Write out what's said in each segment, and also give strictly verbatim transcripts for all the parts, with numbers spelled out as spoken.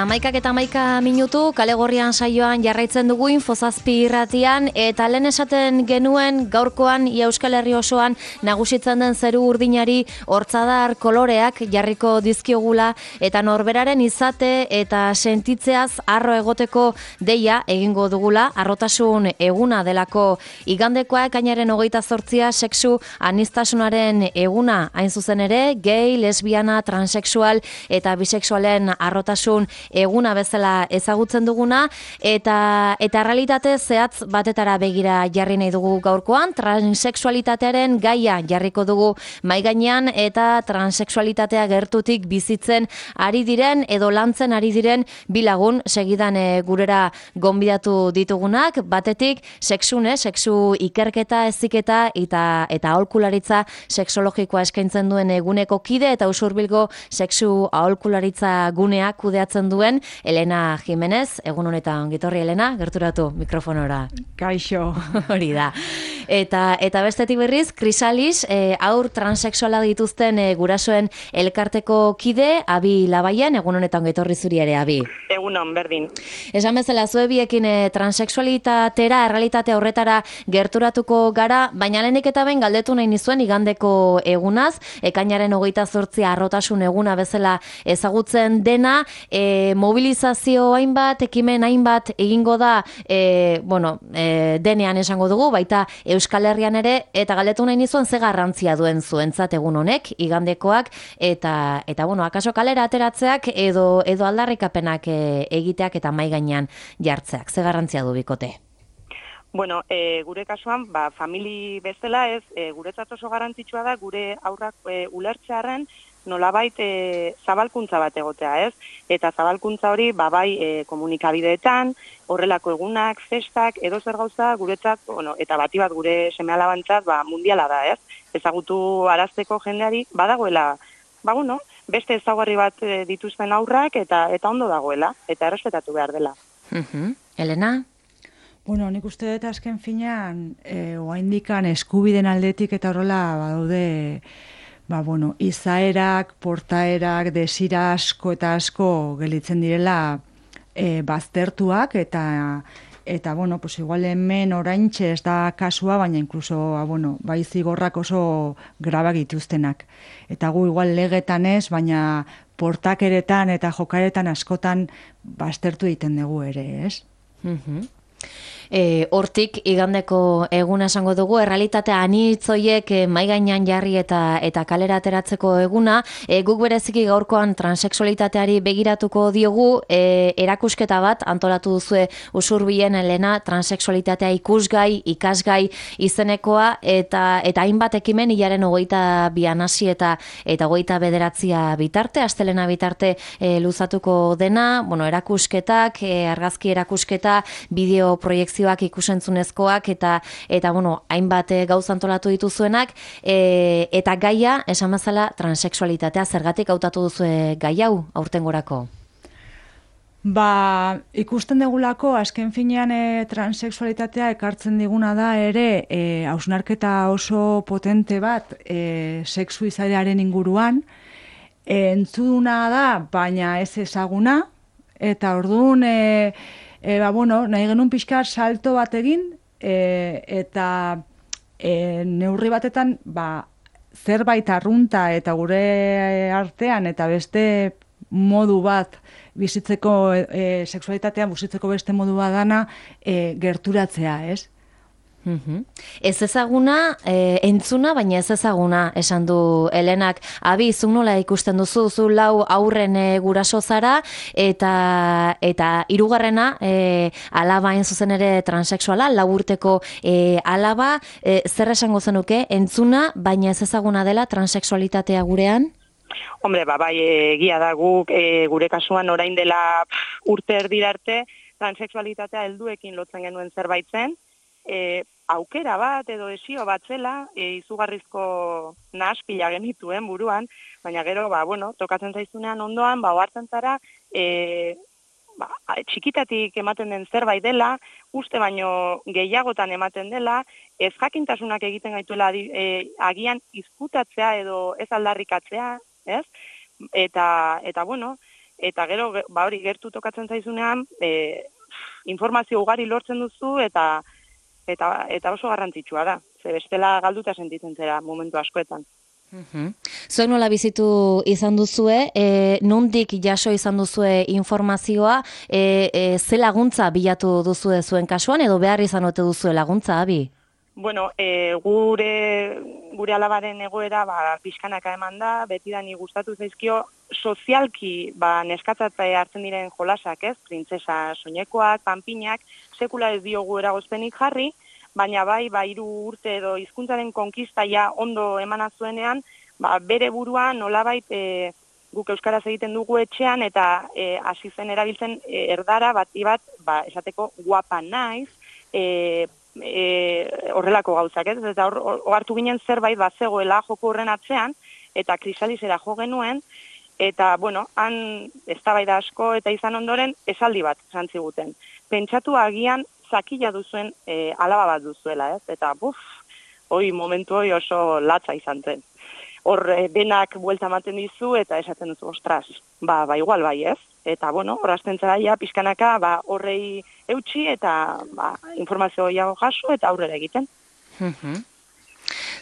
Amaikak eta amaika minutu, kale gorrian saioan jarraitzen dugu Infozazpi irratian, eta lehen esaten genuen gaurkoan ia Euskal Herri osoan nagusitzen den zeru urdinari hortzadar koloreak jarriko dizkiogula, eta norberaren izate eta sentitzeaz arro egoteko deia egingo dugula, arrotasun eguna delako igandekoa ekainaren hogeita zortzia sexu aniztasunaren eguna, hain zuzen ere, gay, lesbiana, transexual eta bisexualen arrotasun eguna bezala ezagutzen duguna, eta eta realitate zehatz batetara begira jarri nahi dugu gaurkoan, transexualitatearen gaia jarriko dugu mahai gainean, eta transexualitatea gertutik bizitzen ari diren edo lantzen ari diren bilagun segidan e, gurera gonbidatu ditugunak, batetik sexune, sexu ikerketa, heziketa eta eta aholkularitza sexologikoa eskaintzen duen eguneko kide eta Usurbilgo sexu aholkularitza gunea kudeatzen duen Elena Jimenez. Egun honetan ongitorri Elena, gerturatu mikrofonora. Kaixo. Hori da. Eta eta bestetik berriz, Krisalis, e, aur transexuala dituzten e, gurasoen elkarteko kide, Abi Labaien, egun honetan ongitorri zuri ere, Abi. Egunon, berdin. Esan bezala, zuebiekin e, transexualitatera, errealitate horretara gerturatuko gara, baina lehenik eta ben galdetu nahi nizuen igandeko egunaz, ekainaren hogeita zortzia arrotasun eguna bezala ezagutzen dena, e, mobilizazio hainbat, ekimen hainbat egingo da, e, bueno, e, denean esango dugu, baita Euskal Herrian ere, eta galdetu nahi nizuen ze garrantzia duen zuentzat egun honek, igandekoak, eta, eta bueno, akaso kalera ateratzeak edo, edo aldarrikapenak e, egiteak eta mahai gainean jartzeak, ze garrantzia du bikote? Bueno, e, gure kasuan, ba, famili bezala ez, e, guretzat oso garrantzitsua da, gure aurrak e, ulertzearren, nolabait e, zabalkuntza bat egotea, ez? Eta zabalkuntza hori, ba, bai e, komunikabideetan, horrelako egunak, festak, edo zer gauza guretzat, bueno, eta bati bat gure seme-alabantzat, ba, mundiala da, ez? Ezagutu arazteko jendeari, badagoela, ba, bueno, beste ezaugarri bat e, dituzten aurrak, eta eta ondo dagoela, eta errespetatu behar dela. Uh-huh. Elena? Bueno, nik uste dut azken finean, e, oaindikan eskubiden aldetik eta horrela badaude, ba, bueno, izaerak, portaerak, desira asko eta asko gelitzen direla e, baztertuak, eta, eta bueno, pues igual hemen oraintxe ez da kasua, baina inkluso, ba, bueno, bai zigorrak oso grabak dituztenak. Eta gu igual legetan ez, baina portakeretan eta jokaretan askotan baztertu egiten dugu ere, ez? Mhm. E, hortik igandeko eguna esango dugu, errealitatea anitzoiek e, mahai gainean jarri eta eta kalera ateratzeko eguna, e, guk bereziki gaurkoan transexualitateari begiratuko diogu, e, erakusketa bat antolatu duzue Usurbilen Elena, transexualitatea ikusgai, ikasgai izenekoa, eta eta hainbat ekimen hilaren hogeita bian hasi eta eta hogeita bederatzia bitarte, astelena bitarte e, luzatuko dena, bueno, erakusketak, e, argazki erakusketa, bideo proiektzioak ikusentzunezkoak eta eta bueno, hainbat gauza antolatu dituzuenak, e, eta gaia esan bezala transexualitatea, zergatik hautatu duzue gai hau aurtengorako? Ba, ikusten degulako azken finean e, transexualitatea ekartzen diguna da ere e, hausnarketa oso potente bat e, sexu izaeraren inguruan, e, entzuna da, baina ez ezaguna, eta orduan e, E, ba, bueno, nahi genuen pixka salto bat egin, e, eta e, neurri batetan ba, zerbait arrunta eta gure artean eta beste modu bat bizitzeko, e, sexualitatea bizitzeko beste modu bat dana e, gerturatzea, ez? Uhum. Ez ezaguna, e, entzuna, baina ez ezaguna, esan du Elenak. Abi, zu nola ikusten duzu, zu lau aurren e, guraso zara, eta eta hirugarrena e, alaba hain zuzen ere transexuala, lau urteko e, alaba, e, zer esango zenuke, entzuna, baina ez ezaguna dela transexualitatea gurean? Hombre, ba, bai, egia da guk, e, gure kasuan orain dela pff, urte erdirarte, transexualitatea helduekin lotzen genuen zerbait zen, e, aukera bat edo esio bat zela, e, izugarrizko nahaspila genituen buruan, baina gero, ba, bueno, tokatzen zaizunean ondoan, ba, ohartzen zara, e, ba, txikitatik ematen den zerbait dela, uste baino gehiagotan ematen dela, ez jakintasunak egiten gaituela e, agian izkutatzea edo ez aldarrikatzea, ez? Eta, eta bueno, eta gero, ba hori, gertu tokatzen zaizunean, e, informazio ugari lortzen duzu, eta eta eta oso garrantzitsua da. Ze bestela galduta sentitzen zera momentu askoetan. Uhum. Zuek nola bizitu izan duzue, e, nondik jaso izan duzue informazioa, e, e, ze laguntza bilatu duzue zuen kasuan, edo behar izan ote duzue laguntza, Abi? Bueno, e, gure, gure alabaren egoera ba, pixkanaka eman da, betidani gustatu zaizkio, sozialki ba, neskatzatzae hartzen diren jolasak, ez? Printzesa soinekoak, panpinak, sekula ez diogu eragozpenik jarri, baina bai, ba, hiru urte edo hizkuntzaren konkistaia ondo emana zuenean, ba, bere burua nolabait e, guk euskaraz egiten dugu etxean, eta e, hasi zen erabiltzen e, erdara bati bat, ba, esateko guapa naiz, e, E, horrelako gauzak, ez? Eta hor, hartu ginen zerbait bat zegoela joko horren atzean, eta krisalizera jo genuen, eta, bueno, han eztabaida asko eta izan ondoren esaldi bat zantziguten. Pentsatu agian zakila duzuen e, alaba bat duzuela, ez? Eta, buf, hoi momentu hoi oso latza izan zen. Hor, e, denak buelta ematen dizu, eta esaten duzu, ostras, ba, ba igual bai, ez? Eta, bueno, horazten zaraia, pizkanaka, ba, horrei eutxi, eta ba, informazio gehiago jaso, eta aurrera egiten.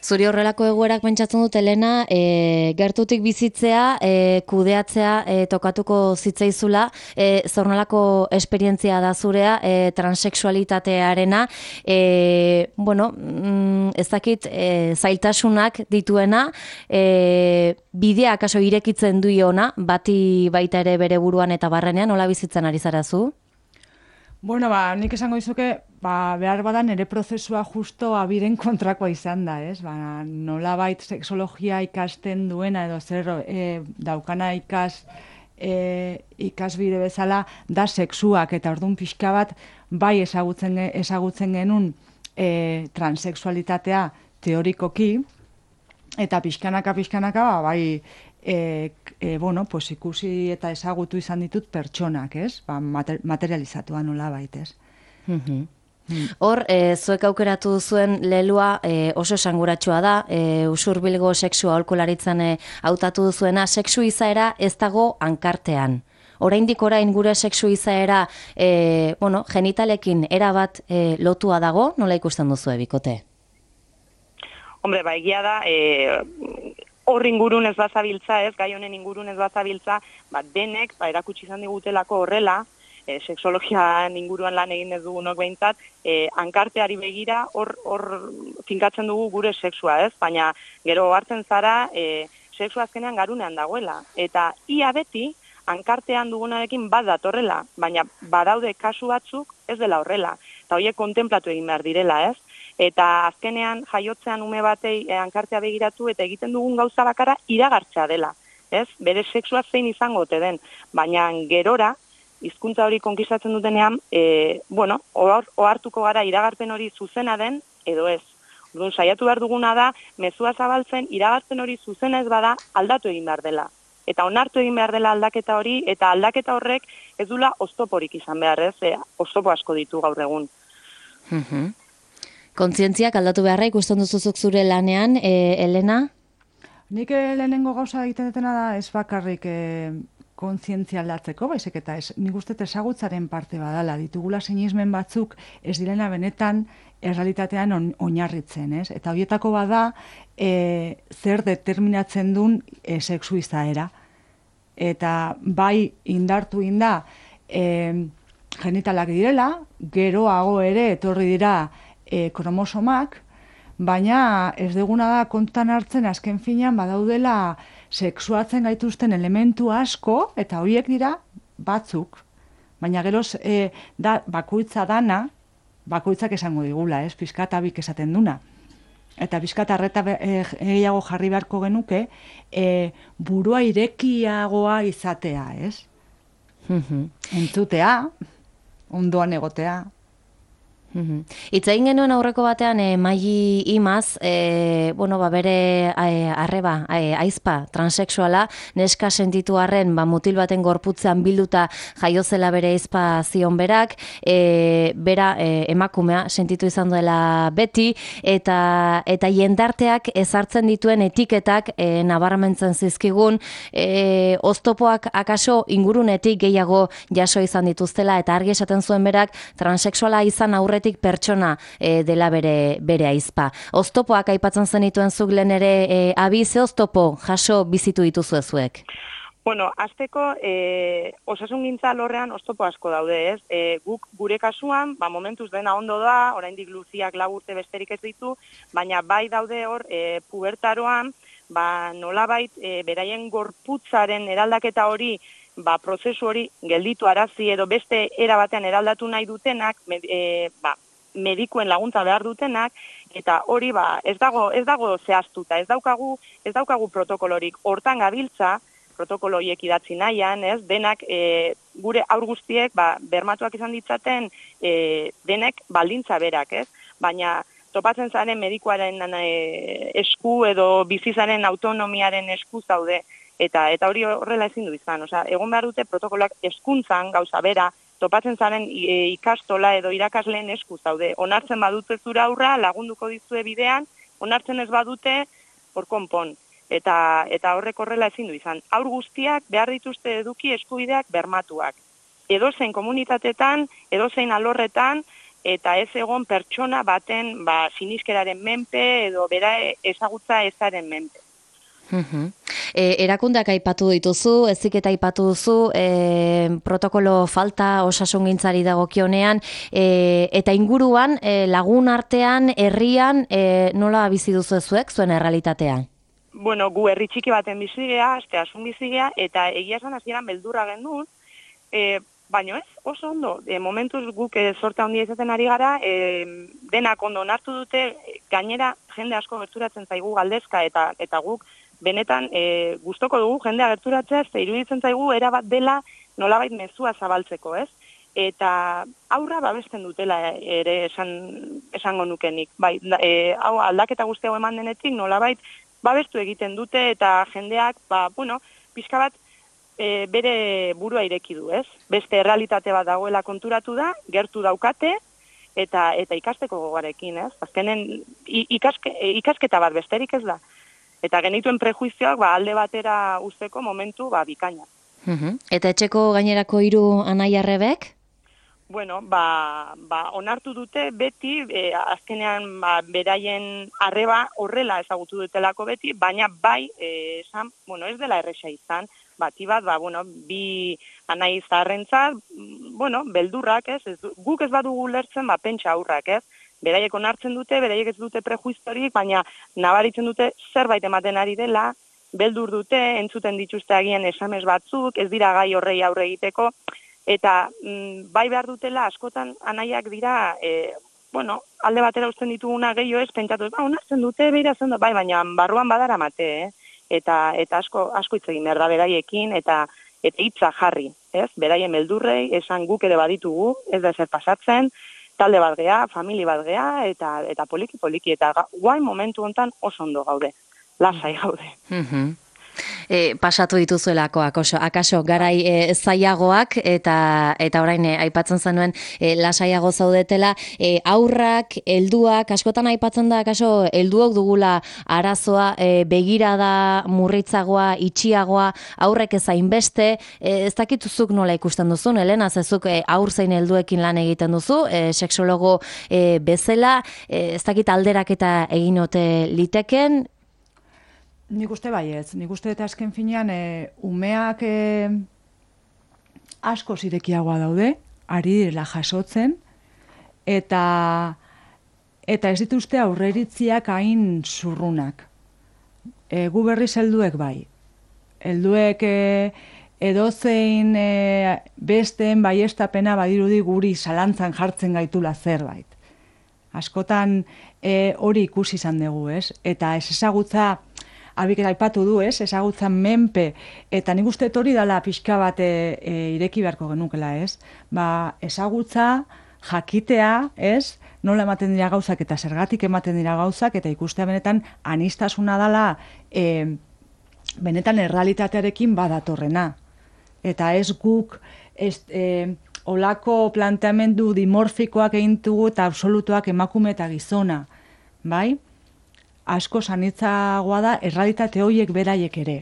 Zuri horrelako egoerak pentsatzen dut, Elena, e, gertutik bizitzea, e, kudeatzea e, tokatuko zitzaizula, e, zornalako esperientzia da zurea, e, transexualitatearena, e, bueno, mm, ez dakit e, zailtasunak dituena, e, bidea akaso irekitzen duiona, bati baita ere bere buruan eta barrenean, nola bizitzen ari zara zu? Bueno, ba, nik esango dizuke, ba, behar badan ere prozesua justo abiren kontrakoa izan da, ez? Ba, nolabait sexologia ikasten duena edo zer e, daukana ikas e, ikasbide bezala da sexuak, eta orduan pixka bat bai ezagutzen, ezagutzen genuen e, transexualitatea teorikoki, eta pixkanaka, pixkanaka, ba, bai, E, e, bueno, pues ikusi eta ezagutu izan ditut pertsonak, ez? Ba, mater, materializatua nola baitez. Mm-hmm. Mm. Hor, e, zuek aukeratu zuen lelua e, oso esanguratsua da, e, usurbilgo sexua aholkularitzan e, hautatu duzuena, sexu izaera ez dago hankartean. Oraindik orain gure sexu izaera e, bueno, genitalekin erabat e, lotua dago, nola ikusten duzu bikote? Hombre, ba, egia da, e, hor ingurun ez bazabiltza, ez, gai honen ingurun ez bazabiltza, ba, denek, ba, erakutsi izan digutelako horrela, e, sexologian inguruan lan egin ez dugunok behintzat, e, hankarteari begira hor, hor finkatzen dugu gure sexua, ez, baina gero hartzen zara, e, sexua azkenean garunean dagoela, eta ia beti, hankartean dugunarekin bat datorrela, baina badaude kasu batzuk ez dela horrela, eta horiek kontemplatu egin behar direla, ez? Eta azkenean jaiotzean ume batei hankartea begiratu eta egiten dugun gauza bakara iragartzea dela, ez? Bere sexua zein izango ote den, baina gerora, hizkuntza hori konkistatzen dutenean, e, bueno, ohartuko gara iragarpen hori zuzena den edo ez. Orduan saiatu behar duguna da, mezua zabaltzen iragarpen hori zuzena ez bada aldatu egin behar dela. Eta onartu egin behar dela aldaketa hori, eta aldaketa horrek ez dula oztoporik izan behar, ez? E, oztopo asko ditu gaur egun. Mhm. Kontzientziak aldatu beharra ikusten duzuzuk zure lanean, e, Elena? Nik lehenengo gauza egiten dutena da ez bakarrik e, kontzientzia aldatzeko, baizik eta ez, nik uste ezagutzaren parte badala, ditugula sinismen batzuk ez direna benetan errealitatean on, oinarritzen, ez? Eta horietako bada e, zer determinatzen duen e, sexu izaera. Eta bai indartu inda e, genitalak direla, geroago ere etorri dira E, kromosomak, baina ez duguna da kontan hartzen azken finean badaudela sexuatzen gaituzten elementu asko, eta horiek dira batzuk. Baina geroz e, da, bakoitza dana, bakoitzak esango digula, ez, pizkat abik esaten duna. Eta pizkat arreta gehiago e, jarri beharko genuke, e, burua irekiagoa izatea, ez? Entzutea, ondoan egotea. Itza egin genuen aurreko batean e, Maili Imaz, e, bueno, ba, bere e, arreba, e, aizpa, transexuala, neska sentitu arren, ba, mutil baten gorputzean bilduta jaiozela bere aizpa zion berak, e, bera e, emakumea sentitu izan duela beti, eta eta jendarteak ezartzen dituen etiketak e, nabarmentzen zizkigun, e, oztopoak akaso ingurunetik gehiago jaso izan dituztela, eta argi esaten zuen berak, transexuala izan aurretik pertsona e, dela bere bere aizpa. Oztopoak aipatzen zenituen zuk lehen ere e, abi, ze oztopo jaso bizitu dituzu zuek? Bueno, azteko e, osasungintza alorrean oztopo asko daude, ez? E, guk gure kasuan, ba, momentuz dena ondo da, oraindik luziak lau urte besterik ez ditu, baina bai daude hor e, pubertaroan, ba, nolabait e, beraien gorputzaren eraldaketa hori, ba, prozesu hori gelditu arazi edo beste era batean eraldatu nahi dutenak, med, e, ba, medikuen laguntza behar dutenak, eta hori ba, ez dago ez dago zehaztuta, ez daukagu ez daukagu protokolorik. Hortan gabiltza protokolo horiek idatzi nahian, ez? Denak e, gure haur guztiek ba, bermatuak izan ditzaten e, denek baldintza berak, ez? Baina topatzen zaren medikuaren e, esku edo bizizaren autonomiaren esku zaude. Eta eta hori horrela ezin du izan, osea, egon behar dute protokoloak hezkuntzan gauza bera, topatzen zaren e, ikastola edo irakasleen esku zaude. Onartzen badute zura aurra, lagunduko dizue bidean, onartzen ez badute, hor konpon. Eta eta horrek horrela ezin du izan. Haur guztiak behar dituzte eduki eskubideak bermatuak. Edozein komunitatetan, edozein alorretan, eta ez egon pertsona baten ba, siniskeraren menpe edo bera ezagutza ezaren menpe. Uhum. E, erakundeak aipatu dituzu, heziketa aipatu duzu, e, protokolo falta osasungintzari dagokionean, e, eta inguruan e, lagun artean, herrian, e, nola bizi duzu zuek zuen errealitatea? Bueno, gu herri txiki baten bizigea, aste asun bizigea, eta egia esan hasieran beldurra genuen, e, baina ez, oso ondo, e, momentuz guk e, sorte handia izaten ari gara, e, denak ondo onartu dute, gainera jende asko gerturatzen zaigu galdezka, eta eta guk benetan e, gustoko dugu jendea gerturatzea, ze iruditzen zaigu era bat dela nolabait mezua zabaltzeko, ez? Eta aurra babesten dutela ere esan esango nukenik. Bai, e, hau aldaketa guzti hau eman denetik nolabait babestu egiten dute eta jendeak, ba, bueno, pixka bat e, bere burua ireki du, ez? Beste errealitate bat dagoela konturatu da, gertu daukate eta eta ikasteko gogarekin, ez? Azkenen ikaske, ikasketa bat besterik ez da. Eta genituen prejuizioak ba, alde batera usteko momentu ba, bikaina. Uhum. Eta etxeko gainerako hiru anai-arrebek? Bueno, ba, ba, onartu dute beti, e, azkenean ba, beraien arreba horrela ezagutu dutelako beti, baina bai, e, esan, bueno, ez dela erresa izan, bati bat, ba, bueno, bi anai zaharrentzat, bueno, beldurrak, ez, ez, guk ez badugu lertzen, ba, pentsa aurrak, ez, beraiek onartzen dute, beraiek ez dute prejuiziorik, baina nabaritzen dute zerbait ematen ari dela, beldur dute, entzuten dituzte agian esamez batzuk, ez dira gai horrei aurre egiteko, eta mm, bai behar dutela askotan anaiak dira, e, bueno, alde batera uzten dituguna gehiago ez, pentsatu, ba, onartzen dute, beira zen bai, baina barruan badara mate, eh? eta eta asko asko hitz egin behar da beraiekin, eta eta hitza jarri, ez? Beraien beldurrei, esan guk ere baditugu, ez da ezer pasatzen, talde bat gea, famili bat gea, eta eta poliki poliki, eta guain momentu hontan oso ondo gaude, lasai gaude. Mhm. E, pasatu dituzuelako akaso, akaso garai e, zaiagoak eta eta orain e, aipatzen zenuen e, lasaiago zaudetela, e, aurrak, helduak, askotan aipatzen da akaso helduok dugula arazoa, e, begirada murritzagoa, itxiagoa, aurrek ez hainbeste, e, ez dakituzuk nola ikusten duzun, Elena, zezuk e, aur zein helduekin lan egiten duzu, e, sexologo e, bezala, e, ez dakit alderaketa egin ote liteken. Nik uste baietz, nik uste eta azken finean e, umeak e, asko zirekiagoa daude, ari direla jasotzen, eta eta ez dituzte aurreritziak hain zurrunak. E, gu berriz helduek bai. Helduek e, edozein e, besteen baiestapena badirudi guri zalantzan jartzen gaitula zerbait. Askotan e, hori ikusi izan dugu, ez? Eta ez ezagutza Abik aipatu du, ez, ezagutzan menpe, eta nik uste hori dala pixka bat e, ireki beharko genukela, ez? Ba, ezagutza jakitea, ez, nola ematen dira gauzak eta zergatik ematen dira gauzak, eta ikustea benetan anistasuna dela e, benetan errealitatearekin badatorrena. Eta ez guk ez, e, olako planteamendu dimorfikoak egin dugu eta absolutuak emakume eta gizona, bai? Asko sanitzagoa da errealitate horiek beraiek ere.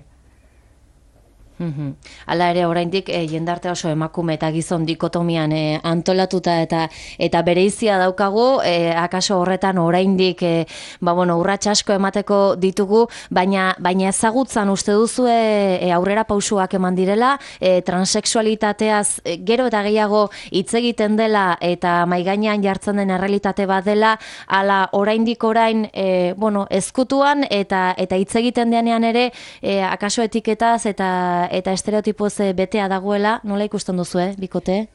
Hala ere, oraindik e, jendarte oso emakume eta gizon dikotomian e, antolatuta eta eta bereizia daukagu, e, akaso horretan oraindik e, ba bueno, urrats asko emateko ditugu, baina baina ezagutzan uste duzu e, aurrera pausuak eman direla, e, transexualitateaz e, gero eta gehiago hitz egiten dela eta mai gainean jartzen den errealitate bat dela, hala oraindik orain e, bueno, ezkutuan eta eta hitz egiten denean ere e, akaso etiketaz eta eta estereotipoz betea dagoela, nola ikusten duzu, eh, bikote?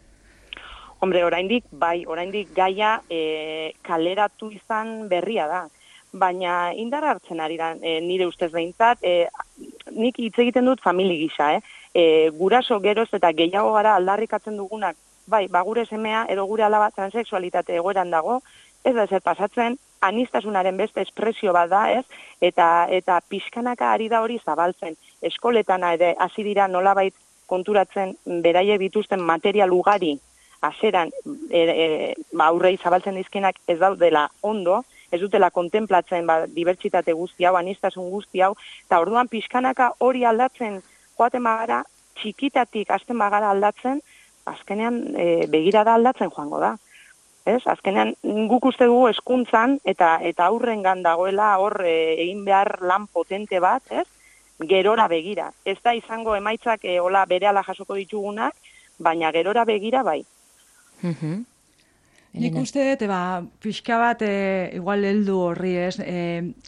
Hombre, oraindik, bai, oraindik gaia e, kaleratu izan berria da. Baina indar hartzen ari da, e, nire ustez behintzat, e, nik hitz egiten dut famili gisa, eh? E, guraso geroz eta gehiago gara aldarrikatzen dugunak, bai, ba gure semea edo gure alaba transexualitate egoeran dago, ez da ezer pasatzen, anistasunaren beste espresio bat da, ez? Eta eta pixkanaka ari da hori zabaltzen. Eskoletan ere hasi dira nolabait konturatzen beraiek dituzten material ugari haseran e, e, ba, aurrei zabaltzen dizkienak ez daudela ondo, ez dutela kontemplatzen ba, dibertsitate guzti hau, anistasun guzti hau, eta orduan pixkanaka hori aldatzen joaten bagara, txikitatik hasten bagara aldatzen, azkenean e, begirada aldatzen joango da. Ez? Azkenean guk uste dugu hezkuntzan eta eta aurrengan dagoela hor e, egin behar lan potente bat, ez? Gerora begira. Ez da izango emaitzak e, hola berehala jasoko ditugunak, baina gerora begira bai. Mhm. Nik uste dut, ba, pixka bat e, igual heldu horri, ez? E,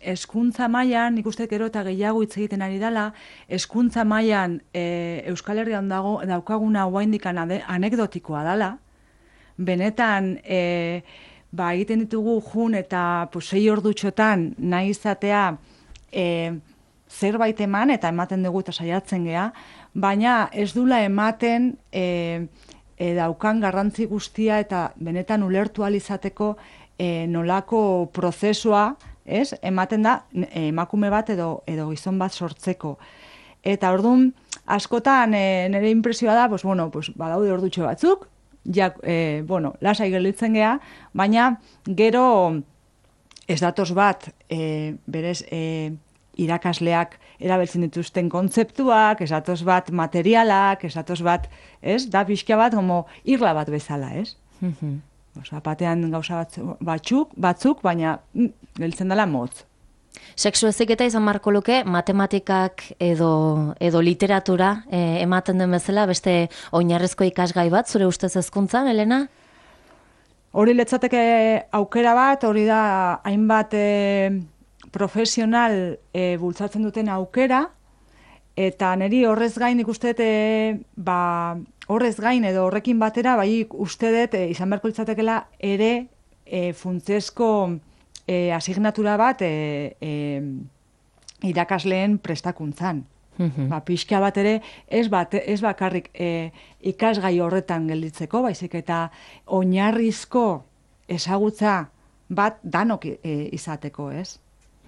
hezkuntza mailan, nik uste gero eta gehiago hitz egiten ari dela, hezkuntza mailan e, Euskal Herrian dago daukaguna oraindik anekdotikoa dela. Benetan, e, ba, egiten ditugu jun eta pues, sei ordutxotan nahi izatea e, zerbait eman eta ematen dugu eta saiatzen gea, baina ez dula ematen e, e, daukan garrantzi guztia eta benetan ulertu ahal izateko e, nolako prozesua, ez? Ematen da emakume bat edo, edo gizon bat sortzeko. Eta orduan, askotan e, nire impresioa da, pues, bueno, pues, badaude ordutxo batzuk, ja, e, bueno, lasai gelditzen gea, baina gero ez datoz bat e, berez e, irakasleak erabiltzen dituzten kontzeptuak, ez datoz bat materialak, ez datoz bat, ez, da pixka bat, como irla bat bezala, ez? Mm-hmm. Osa, batean gauza batzuk, batzuk, baina mm, gelditzen dela motz. Sexu heziketa izan marko luke, matematikak edo, edo literatura eh, ematen den bezala, beste oinarrezko ikasgai bat, zure ustez hezkuntzan, Elena? Hori letzateke aukera bat, hori da hainbat e, profesional e, bultzatzen duten aukera, eta niri horrez gain ikuste dut, e, ba, horrez gain edo horrekin batera, bai uste dut e, izan beharko litzatekela ere e, funtsezko E, asignatura bat e, e, irakasleen prestakuntzan. Mm-hmm. Ba, pixka bat ere, ez, bat, ez bakarrik e, ikasgai horretan gelditzeko, baizik eta oinarrizko ezagutza bat danok e, izateko, ez?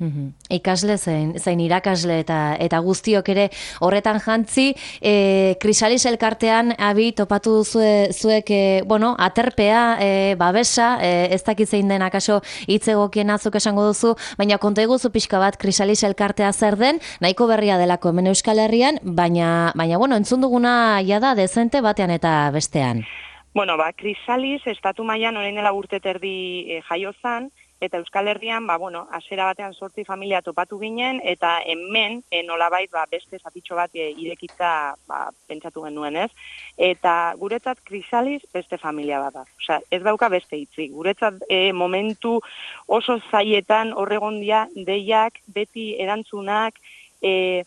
Mm-hmm. Ikasle zein, zein irakasle eta eta guztiok ere horretan jantzi, e, Krisalis elkartean abi topatu duzue zuek e, bueno, aterpea, e, babesa, e, ez dakit zein den akaso hitz egokien azuk esango duzu, baina konta iguzu pixka bat Krisalis elkartea zer den, nahiko berria delako hemen Euskal Herrian, baina baina bueno, entzun duguna jada dezente batean eta bestean. Bueno, ba, Krisalis estatu mailan orain dela urte terdi e, jaio zan, eta Euskal Herrian, ba, bueno, hasiera batean zortzi familia topatu ginen, eta hemen, e, nolabait, ba, beste zatitxo bat e, irekitza ba, pentsatu genuen, ez? Eta guretzat Krisalis beste familia bat da. Osea, ez dauka beste hitzik. Guretzat e, momentu oso zaietan horregondia deiak, beti erantzunak, e,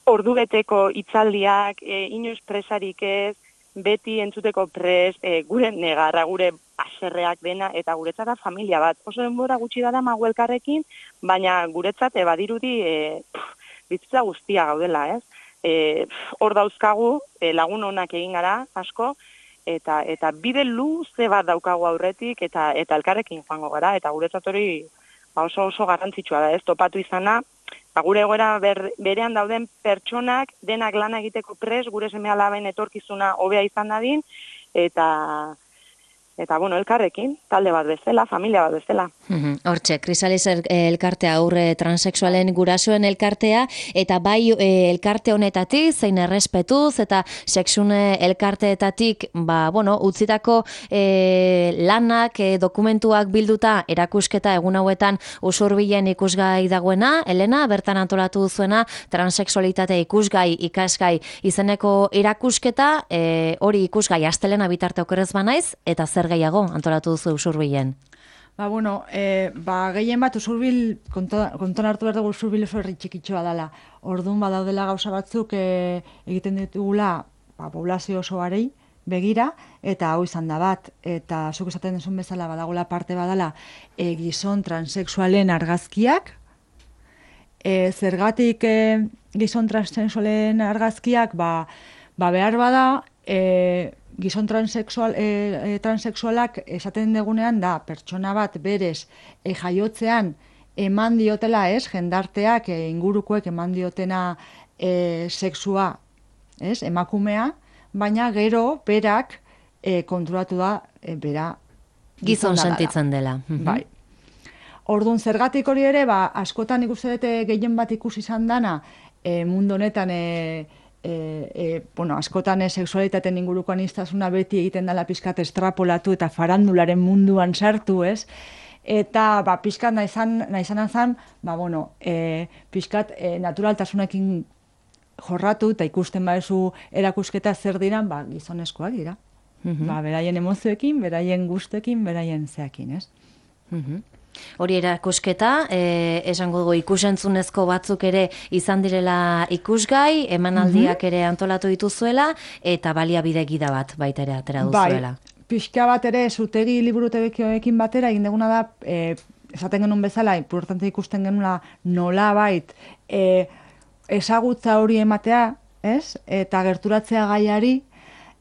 ordubeteko hitzaldiak, e, inoiz presarik ez, beti entzuteko prest, e, gure negarra, gure aserreak dena, eta guretzat da familia bat. Oso denbora gutxi dara magu elkarrekin, baina guretzat e, badirudi e, bizitza guztia gaudela, ez? E, hor dauzkagu, e, lagun onak egin gara, asko, eta eta bide luze bat daukagu aurretik, eta eta elkarrekin joango gara, eta guretzat hori ba oso oso garrantzitsua da, ez topatu izana, ba, gure egoera ber, berean dauden pertsonak denak lana egiteko pres, gure seme-alaben etorkizuna hobea izan dadin, eta eta bueno, elkarrekin, talde bat bezala, familia bat bezala. Hortxe, Krisalis elkartea aurre transexualen gurasoen elkartea, eta bai e, elkarte honetatik, zein errespetuz, eta sexune elkarteetatik, ba, bueno, utzitako e, lanak, e, dokumentuak bilduta, erakusketa egun hauetan usurbilen ikusgai dagoena, Elena, bertan antolatu duzuena, transexualitate ikusgai, ikasgai, izeneko erakusketa, e, hori ikusgai, astelena bitarte okerrez banaiz, eta zer gehiago antolatu duzu usurbilen? Ba, bueno, e, ba, gehien bat usurbil, konton hartu behar dugu usurbil oso herri txikitxoa dela. Orduan badaudela gauza batzuk e, egiten ditugula ba, poblazio osoarei begira, eta hau izan da bat. Eta zuk esaten duzun bezala badagola parte badala e, gizon transexualen argazkiak. E, zergatik e, gizon transexualen argazkiak, ba, ba behar bada, e, gizon transexual, e, e, transexualak esaten degunean da, pertsona bat berez e, jaiotzean eman diotela, ez, jendarteak, e, ingurukoek eman diotena e, sexua, ez, emakumea, baina gero berak e, konturatu da, e, bera gizon sentitzen dela. Bai. Orduan, zergatik hori ere, ba, askotan ikusi dute gehien bat ikusi izan dana, e, mundu honetan, e, E, e, bueno, askotan e, sexualitateen inguruko aniztasuna beti egiten dela pizkat estrapolatu eta farandularen munduan sartu, ez? Eta ba, pizkat naizan, naizan azan, ba, bueno, e, pizkat e, naturaltasunekin jorratu eta ikusten baezu erakusketa zer diran, ba, gizonezkoak dira. Mm-hmm. Ba, beraien emozioekin, beraien gustekin, beraien zeakin, ez? Mm-hmm. Hori erakusketa, eh, esango dugu ikusentzunezko batzuk ere izan direla ikusgai, emanaldiak ere antolatu dituzuela, eta baliabide gida bat baita ere atera duzuela. Bai, pixka bat ere, zutegi liburutegiekin batera, egin deguna da, e, esaten genuen bezala, importante ikusten genula nola bait, e, ezagutza hori ematea, ez? Eta gerturatzea gaiari,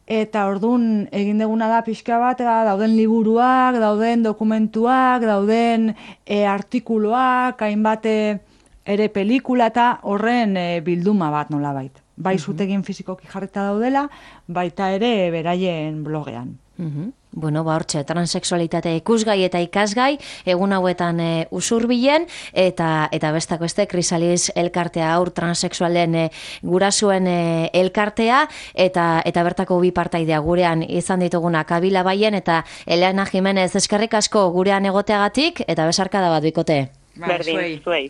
eta ordun egin deguna da pixka bat, dauden liburuak, dauden dokumentuak, dauden e, artikuluak, hainbat ere pelikula eta horren e, bilduma bat nolabait. Bai zutegin fizikoki jarrita daudela, baita ere beraien blogean. Uh-huh. Bueno, ba hortxe, transexualitate ikusgai eta ikasgai, egun hauetan e, usurbilen, eta eta bestak beste, Krisalis elkartea aur transexualen e, gurasuen e, elkartea, eta eta bertako bi partaidea gurean izan dituguna Kabila Baien eta Elena Jimenez, eskerrik asko gurean egoteagatik, eta besarkada bat bikote. Berdin, zuei.